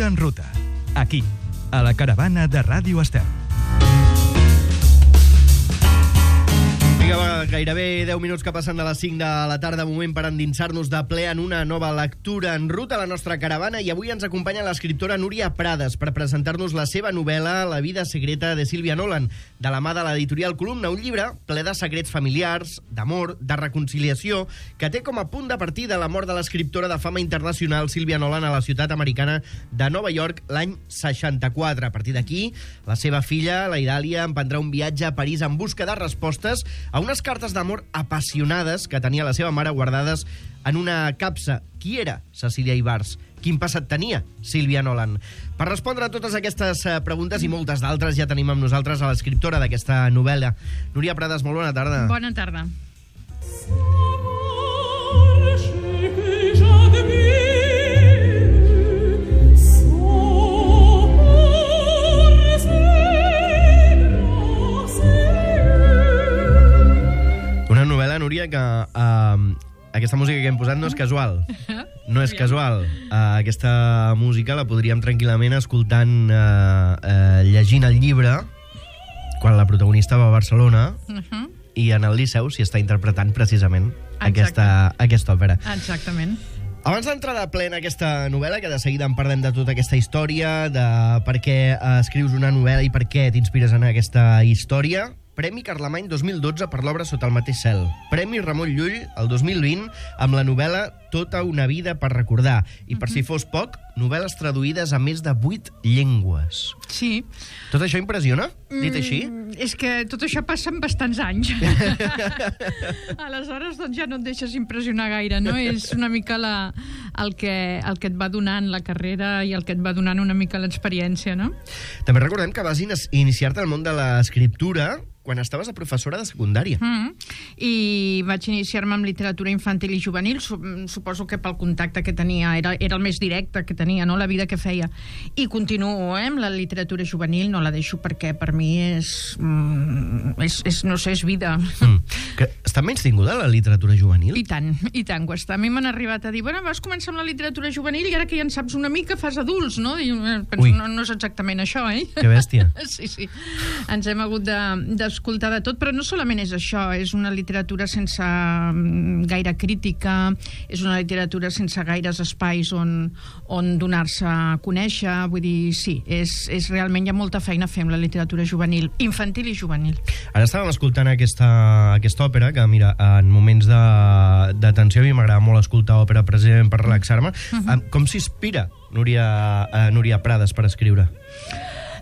Lectura en ruta. Aquí, a la caravana de Ràdio Estel. Vinga, gairebé 10 minuts que passen de les 5 de la tarda, moment per endinsar-nos de ple en una nova lectura en ruta a la nostra caravana, i avui ens acompanya l'escriptora Núria Prades per presentar-nos la seva novel·la La vida secreta de Sylvia Nolan, de la mà de l'editorial Columna, un llibre ple de secrets familiars, d'amor, de reconciliació, que té com a punt de partida la mort de l'escriptora de fama internacional Sylvia Nolan a la ciutat americana de Nova York l'any 64. A partir d'aquí, la seva filla, la Idàlia, emprendrà un viatge a París en busca de respostes a unes cartes d'amor apassionades que tenia la seva mare guardades en una capsa. Qui era Cecília Ibars? Quin passat tenia Sylvia Nolan? Per respondre a totes aquestes preguntes i moltes d'altres ja tenim amb nosaltres a l'escriptora d'aquesta novel·la. Núria Prades, molt bona tarda. Bona tarda. Una novel·la, Núria, que aquesta música que hem posat no és casual. No és casual. Aquesta música la podríem tranquil·lament escoltant, llegint el llibre, quan la protagonista va a Barcelona, i en el Liceu s'hi està interpretant precisament aquesta òpera. Exactament. Abans d'entrar de ple en aquesta novel·la, que de seguida en parlem de tota aquesta història, de per què escrius una novel·la i per què t'inspires en aquesta història, Premi Carlemany 2012 per l'obra Sota el mateix cel. Premi Ramon Llull el 2020 amb la novel·la Tota una vida per recordar. I per si fos poc, novel·les traduïdes a més de 8 llengües. Sí. Tot això impressiona, dit així? És que tot això passa en bastants anys. Aleshores, doncs ja no et deixes impressionar gaire, no? És una mica el que et va donant la carrera i el que et va donant una mica l'experiència, no? També recordem que vas iniciar-te al món de l'escriptura quan estaves a professora de secundària. I vaig iniciar-me amb literatura infantil i juvenil, suposo que pel contacte que tenia, era el més directe que tenia, no? La vida que feia. I continuo amb la literatura juvenil, no la deixo perquè per mi és no sé, és vida. Que està menys tinguda la literatura juvenil? I tant que ho està. A mi m'han arribat a dir, bueno, vas començar amb la literatura juvenil i ara que ja en saps una mica fas adults, no? I penso, no és exactament això, eh? Que bèstia. Sí. Ens hem hagut d'escoltar de tot, però no solament és això, és una literatura sense gaire crítica, és una literatura sense gaires espais on donar-se a conèixer, vull dir, sí, és realment, hi ha molta feina a fer amb la literatura juvenil, infantil i juvenil. Ara estàvem escoltant aquesta òpera, que mira, en moments de tensió a mi m'agrada molt escoltar òpera precisament per relaxar-me. Com s'inspira Núria Prades per escriure?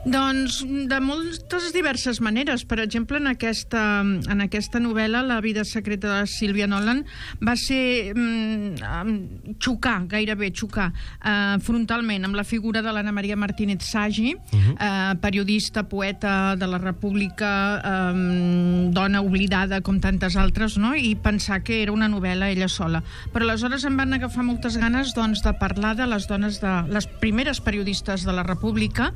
Doncs de moltes diverses maneres. Per exemple, en aquesta novel·la, La vida secreta de Sylvia Nolan, va ser gairebé xocar frontalment amb la figura de l'Anna Maria Martínez Sagi, periodista, poeta de la República, dona oblidada com tantes altres, no? I pensar que era una novel·la ella sola. Però aleshores em van agafar moltes ganes de parlar de les dones, de les primeres periodistes de la República,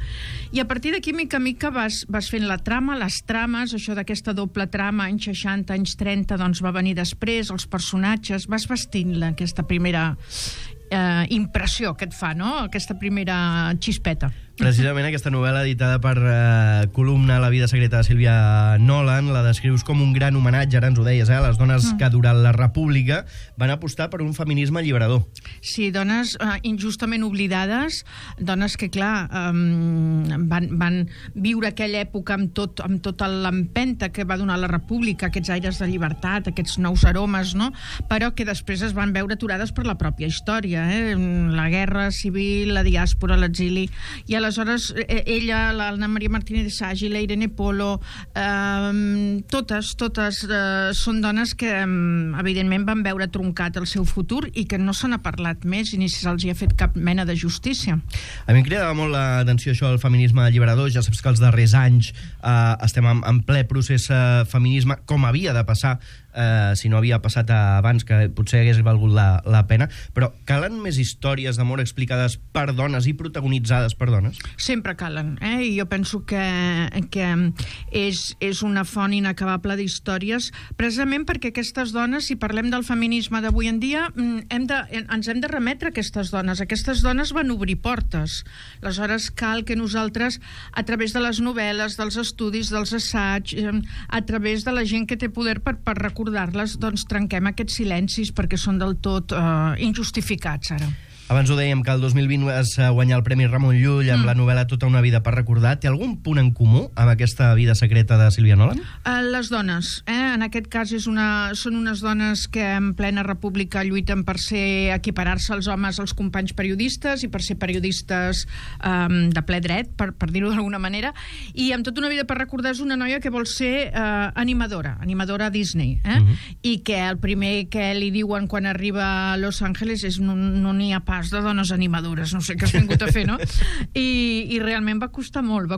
i a partir d'aquí, mica a mica, vas fent la trama, les trames, això d'aquesta doble trama, anys 60, anys 30, doncs va venir després, els personatges, vas vestint-la, aquesta primera impressió que et fa, no? Aquesta primera xispeta. Precisament aquesta novel·la editada per Columna, La vida secreta de Sylvia Nolan, la descrius com un gran homenatge, ara ens ho deies, a les dones que durant la República van apostar per un feminisme alliberador. Sí, dones injustament oblidades, dones que, clar, van viure aquella època amb tota l'empenta que va donar la República, aquests aires de llibertat, aquests nous aromes, no? Però que després es van veure aturades per la pròpia història, la guerra civil, la diàspora, l'exili, i aleshores ella, l'Anna Maria Martínez Sagi, la Irene Polo, totes són dones que evidentment van veure truncat el seu futur i que no se n'ha parlat més i ni se'ls hi ha fet cap mena de justícia. A mi em cridava molt l'atenció això del feminisme alliberador. Ja saps que els darrers anys estem en ple procés feminisme, com havia de passar si no havia passat abans, que potser hagués valgut la pena, però calen més històries d'amor explicades per dones i protagonitzades per dones? dones? Sempre calen, i jo penso que és una font inacabable d'històries, precisament perquè aquestes dones, si parlem del feminisme d'avui en dia, ens hem de remetre a aquestes dones. Aquestes dones van obrir portes. Aleshores, cal que nosaltres, a través de les novel·les, dels estudis, dels assaigs, a través de la gent que té poder per recordar-les, doncs trenquem aquests silencis perquè són del tot injustificats, ara. Abans ho dèiem, que el 2020 vas guanyar el Premi Ramon Llull amb la novel·la Tota una vida per recordar. Té algun punt en comú amb aquesta vida secreta de Sílvia Nolan? Les dones. En aquest cas són unes dones que en plena república lluiten per equiparar-se als homes, als companys periodistes, i per ser periodistes de ple dret, per dir-ho d'alguna manera. I amb Tota una vida per recordar és una noia que vol ser animadora a Disney. I que el primer que li diuen quan arriba a Los Angeles és no n'hi ha pas de dones animadores, no sé què has vingut a fer, no? I realment va costar molt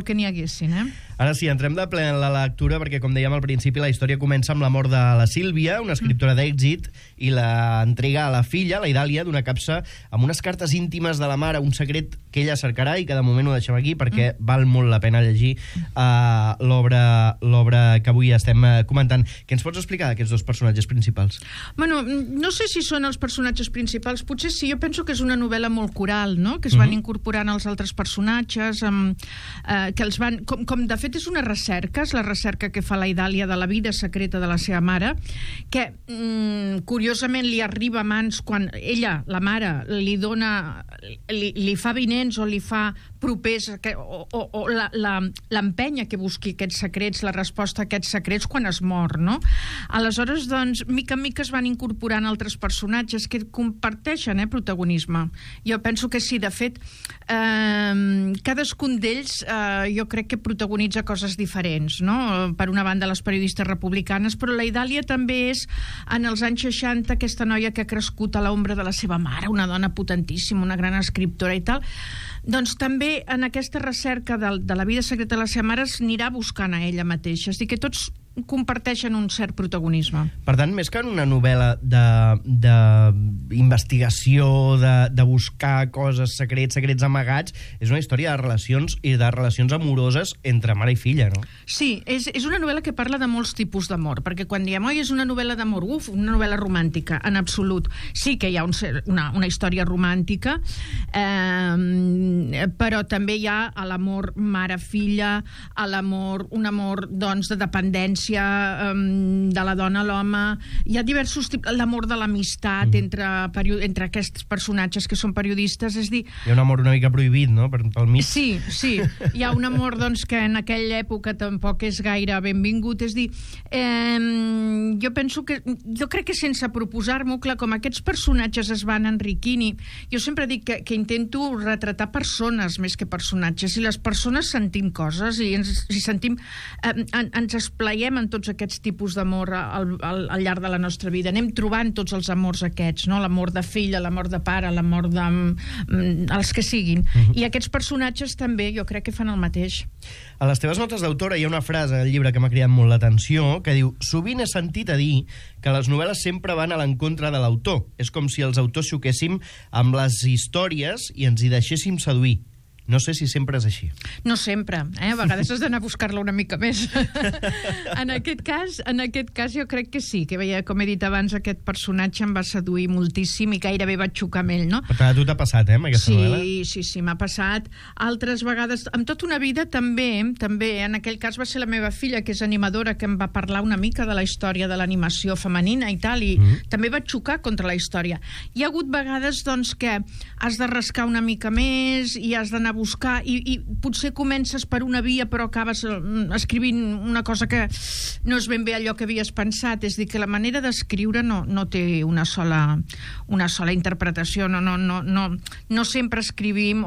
que n'hi haguessin, Ara sí, entrem de ple en la lectura, perquè, com dèiem al principi, la història comença amb la mort de la Sílvia, una escriptora d'èxit, i l'entrega a la filla, la Idàlia, d'una capsa amb unes cartes íntimes de la mare, un secret que ella cercarà i que de moment ho deixem aquí perquè val molt la pena llegir l'obra que avui estem comentant. Què ens pots explicar d'aquests dos personatges principals? Bueno, no sé si són els personatges principals, potser sí. Jo penso que és una novel·la molt coral, no? Que es van incorporant els altres personatges, que els van... Com de fet és una recerca, és la recerca que fa la Idàlia de la vida secreta de la seva mare, que curiosament li arriba a mans quan ella, la mare, li dona, li fa vinents o li fa propers o l'empenya que busqui aquests secrets, la resposta a aquests secrets quan es mor, no? Aleshores, doncs, mica en mica es van incorporant altres personatges que comparteixen protagonisme. Jo penso que sí, de fet, cadascun d'ells jo crec que protagonitza coses diferents, no? Per una banda, les periodistes republicanes, però la Idàlia també és, en els anys 60, aquesta noia que ha crescut a l'ombra de la seva mare, una dona potentíssima, una gran escriptora i tal. Doncs també en aquesta recerca de la vida secreta de la seva mare s'anirà buscant a ella mateixa. És a dir, que tots comparteixen un cert protagonisme. Per tant, més que en una novel·la d'investigació, de buscar coses, secrets amagats, és una història de relacions i de relacions amoroses entre mare i filla, no? Sí, és una novel·la que parla de molts tipus d'amor, perquè quan diem, oi, és una novel·la d'amor, una novel·la romàntica, en absolut. Sí que hi ha una història romàntica, però també hi ha l'amor mare-filla, un amor, doncs, de dependència de la dona a l'home. Hi ha diversos tipus, l'amor de l'amistat entre aquests personatges que són periodistes, és dir... Hi ha un amor una mica prohibit, no?, pel mig. Sí, hi ha un amor, doncs, que en aquella època tampoc és gaire benvingut, és dir, jo crec que sense proposar-m'ho, clar, com aquests personatges es van enriquint, i jo sempre dic que intento retratar persones més que personatges, i les persones sentim coses, i ens esplaiem en tots aquests tipus d'amor al llarg de la nostra vida. Anem trobant tots els amors aquests, no? L'amor de filla, l'amor de pare, l'amor de... els que siguin. I aquests personatges també jo crec que fan el mateix. A les teves notes d'autora hi ha una frase al llibre que m'ha cridat molt l'atenció, que diu: sovint he sentit a dir que les novel·les sempre van a l'encontre de l'autor. És com si els autors xoquéssim amb les històries i ens hi deixéssim seduir. No sé si sempre és així. No sempre, a vegades has d'anar a buscar-la una mica més. En aquest cas jo crec que sí, que com he dit abans, aquest personatge em va seduir moltíssim i gairebé vaig xocar amb ell, no? Per tant, a tu t'ha passat, amb aquesta novel·la? Sí, m'ha passat. Altres vegades, amb tota una vida també, en aquell cas va ser la meva filla, que és animadora, que em va parlar una mica de la història de l'animació femenina i tal, i també vaig xocar contra la història. Hi ha hagut vegades, doncs, que has de rascar una mica més i has d'anar a buscar, i potser comences per una via però acabes escrivint una cosa que no és ben bé allò que havies pensat. És dir, que la manera d'escriure no té una sola interpretació, no sempre escrivim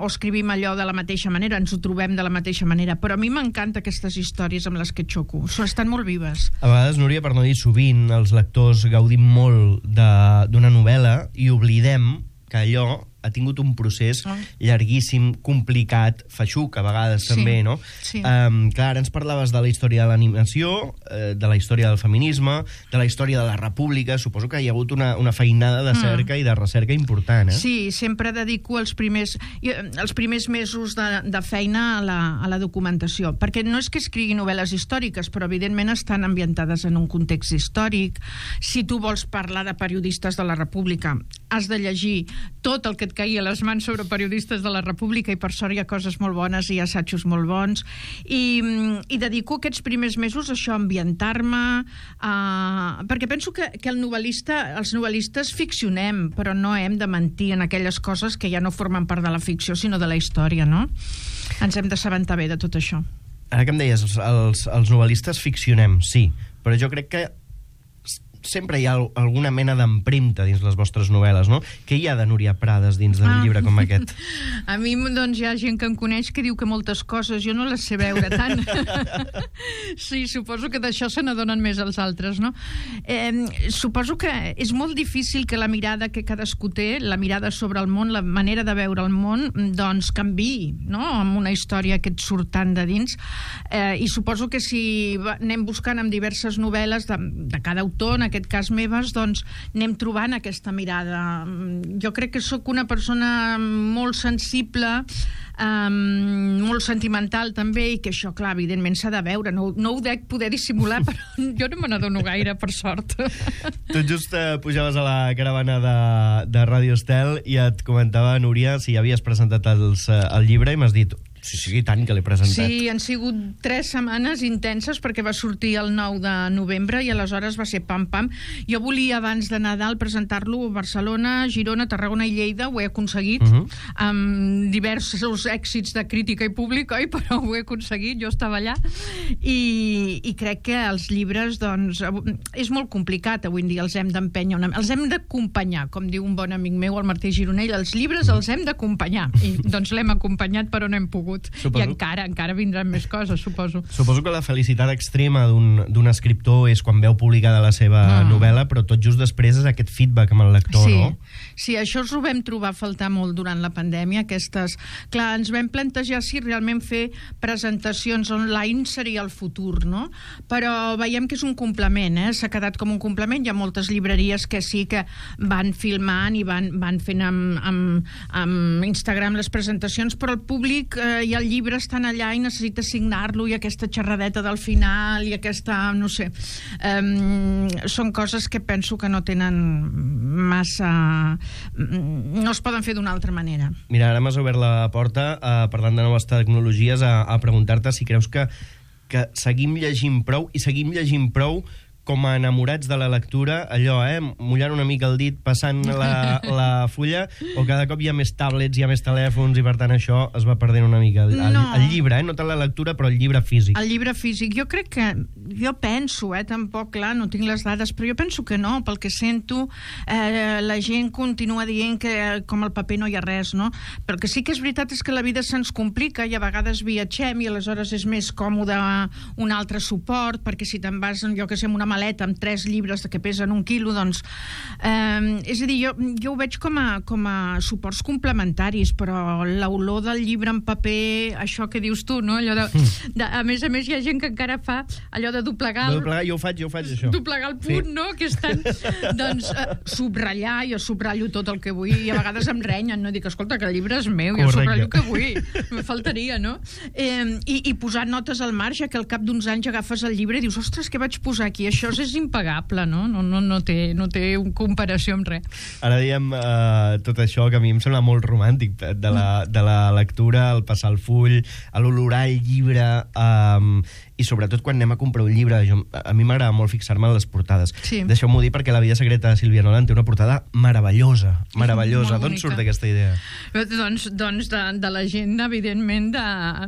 allò de la mateixa manera, ens ho trobem de la mateixa manera, però a mi m'encanta aquestes històries amb les que xoco, estan molt vives. A vegades, Núria, per no dir sovint, els lectors gaudim molt d'una novel·la i oblidem que allò ha tingut un procés llarguíssim, complicat, feixuc a vegades també, no? Sí. Clar, ara ens parlaves de la història de l'animació, de la història del feminisme, de la història de la república. Suposo que hi ha hagut una feinada de cerca i de recerca important, Sí, sempre dedico els primers mesos de feina a la documentació, perquè no és que escrigui novel·les històriques, però evidentment estan ambientades en un context històric. Si tu vols parlar de periodistes de la República, has de llegir tot el que et caigui a les mans sobre periodistes de la República, i per sort hi ha coses molt bones i assajos molt bons, i dedico aquests primers mesos a això, a ambientar-me, perquè penso que els novel·listes ficcionem, però no hem de mentir en aquelles coses que ja no formen part de la ficció, sinó de la història, no? Ens hem d'assabentar bé de tot això. Ara que em deies, els novel·listes ficcionem, sí, però jo crec que sempre hi ha alguna mena d'empremta dins les vostres novel·les, no? Què hi ha de Núria Prades dins d'un llibre com aquest? A mi, doncs, hi ha gent que em coneix que diu que moltes coses jo no les sé veure tant. Sí, suposo que d'això se n'adonen més els altres, no? Suposo que és molt difícil que la mirada que cadascú té, la mirada sobre el món, la manera de veure el món, doncs canviï, no?, amb una història que et surt tant de dins. I suposo que si anem buscant amb diverses novel·les de cada autor, en aquest cas meves, doncs anem trobant aquesta mirada. Jo crec que sóc una persona molt sensible, molt sentimental també, i que això, clar, evidentment s'ha de veure. No ho dec poder dissimular, però jo no me n'adono gaire, per sort. Tot just pujaves a la caravana de Ràdio Estel i et comentava, Núria, si ja havies presentat el llibre, i m'has dit: sí, tant que l'he presentat. Sí, han sigut 3 setmanes intenses, perquè va sortir el 9 de novembre i aleshores va ser pam-pam. Jo volia abans de Nadal presentar-lo a Barcelona, Girona, Tarragona i Lleida. Ho he aconseguit, amb diversos èxits de crítica i públic, però ho he aconseguit, jo estava allà. I crec que els llibres, doncs, és molt complicat avui en dia, els hem d'empènyer, els hem d'acompanyar, com diu un bon amic meu, el Martí Gironell. Els llibres els hem d'acompanyar, i doncs l'hem acompanyat, però no hem pogut. Suposo. I encara vindran més coses, suposo. Suposo que la felicitat extrema d'un escriptor és quan veu publicada la seva novel·la, però tot just després és aquest feedback amb el lector, no? Sí, això ens ho vam trobar a faltar molt durant la pandèmia, Clar, ens vam plantejar si realment fer presentacions online seria el futur, no? Però veiem que és un complement, s'ha quedat com un complement. Hi ha moltes llibreries que sí que van filmant i van fent amb Instagram les presentacions, però el públic i el llibre estan allà i necessita signar-lo, i aquesta xerradeta del final i aquesta, no sé, són coses que penso que no tenen massa, no es poden fer d'una altra manera. Mira, ara m'has obert la porta, parlant de noves tecnologies, a preguntar-te si creus que seguim llegint prou, i seguim llegint prou com a enamorats de la lectura, allò, mullant una mica el dit, passant la fulla, o cada cop hi ha més tablets, hi ha més telèfons, i per tant això es va perdent una mica. El llibre, no tant la lectura, però el llibre físic. El llibre físic, jo crec que, jo penso, tampoc, clar, no tinc les dades, però jo penso que no, pel que sento, la gent continua dient que com el paper no hi ha res, no? Però el que sí que és veritat és que la vida se'ns complica, i a vegades viatgem, i aleshores és més còmode un altre suport, perquè si te'n vas, jo que sé, amb una maleta amb 3 llibres que pesen 1 quilo, doncs... és a dir, jo ho veig com a suports complementaris, però l'olor del llibre en paper, això que dius tu, no? Allò a més, hi ha gent que encara fa allò de doblegar... Jo ho faig, això. Doblegar el punt, no? Que estan... Doncs subratllar, jo subratllo tot el que vull, i a vegades em renyen, no? Dic, escolta, que el llibre és meu, jo subratllo el que vull. Me faltaria, no? I posar notes al marge, que al cap d'uns anys agafes el llibre i dius, ostres, què vaig posar aquí? Això és impagable, no? No té comparació amb res. Ara diem tot això que a mi em sembla molt romàntic, de la lectura, el passar el full, l'olorar el llibre, i sobretot quan anem a comprar un llibre, a mi m'agrada molt fixar-me en les portades. Sí. Deixeu-m'ho dir perquè La vida secreta de Sílvia Nolan té una portada meravellosa. D'on surt aquesta idea? Doncs de la gent, evidentment,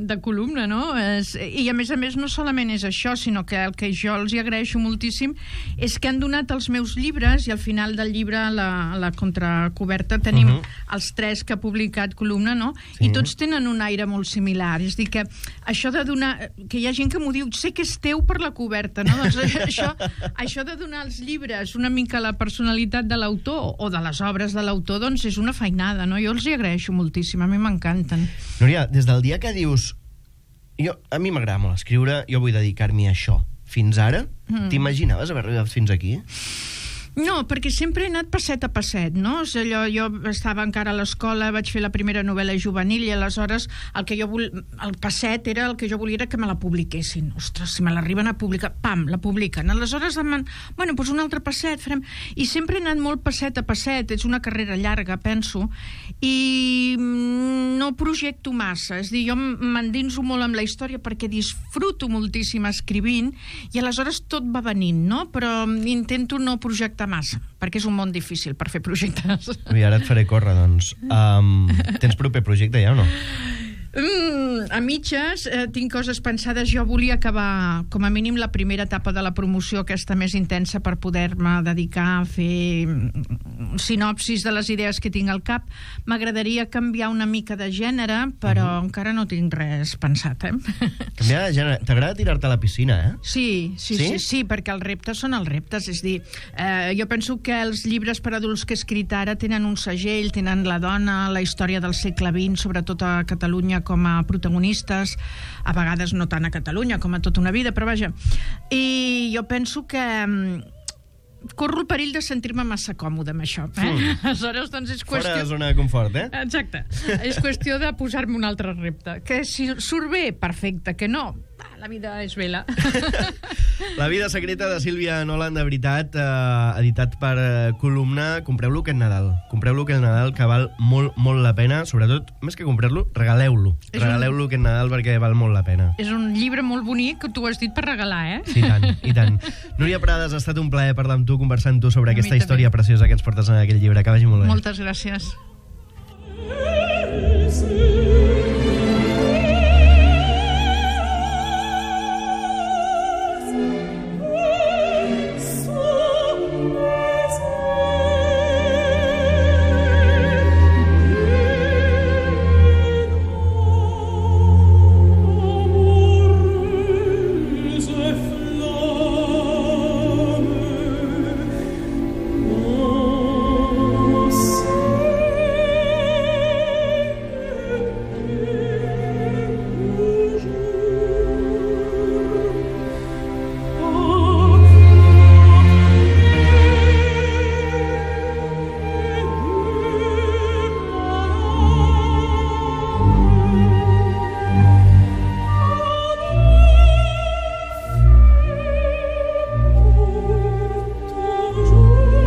de columna, no? I a més no solament és això, sinó que el que jo els hi agraeixo moltíssim és que han donat els meus llibres, i al final del llibre, a la contracoberta, tenim els 3 que ha publicat columna, no? I tots tenen un aire molt similar. És a dir, que això de donar... Que hi ha gent que m'ho diu diu, sé que és teu per la coberta, no? Doncs això de donar als llibres una mica la personalitat de l'autor o de les obres de l'autor, doncs és una feinada, no? Jo els hi agraeixo moltíssim, a mi m'encanten. Núria, des del dia que dius a mi m'agrada molt escriure, jo vull dedicar-m'hi a això, fins ara, t'imaginaves haver arribat fins aquí? No, perquè sempre he anat passet a passet, no? Jo estava encara a l'escola, vaig fer la primera novel·la juvenil i aleshores el passet era el que jo volia era que me la publiquessin. Ostres, si me l'arriben a publicar, pam, la publiquen. Aleshores, bueno, doncs un altre passet farem. I sempre he anat molt passet a passet, és una carrera llarga, penso, i no projecto massa. És a dir, jo m'endinso molt amb la història perquè disfruto moltíssim escrivint i aleshores tot va venint, no? Però intento no projectar massa, perquè és un món difícil per fer projectes. I ara et faré córrer, doncs. Tens proper projecte ja o no? A mitges tinc coses pensades. Jo volia acabar com a mínim la primera etapa de la promoció, aquesta més intensa, per poder-me dedicar a fer sinopsis de les idees que tinc al cap. M'agradaria canviar una mica de gènere, però encara no tinc res pensat, Canviar de gènere. T'agrada tirar-te a la piscina, Sí, perquè els reptes són els reptes. És dir, jo penso que els llibres per adults que he escrit ara tenen un segell, tenen la dona, la història del segle XX, sobretot a Catalunya, com a protagonistes, a vegades no tant a Catalunya com a tota una vida, però vaja. I jo penso que corro el perill de sentir-me massa còmode amb això. Aleshores, doncs és qüestió... Fora de zona de confort, Exacte. És qüestió de posar-me un altre repte. Que si surt bé, perfecte. Que no, la vida és vela. La vida secreta de Sílvia Nolan, de veritat, editat per Columna. Compreu-lo aquest Nadal. Compreu-lo aquest Nadal, que val molt, molt la pena. Sobretot, més que comprar-lo, regaleu-lo. Regaleu-lo aquest Nadal perquè val molt la pena. És un llibre molt bonic, que tu has dit per regalar, Sí, i tant. Núria Prades, ha estat un plaer parlar amb tu, conversar amb tu sobre aquesta història preciosa que ens portes en aquell llibre. Que vagi molt bé. Moltes gràcies.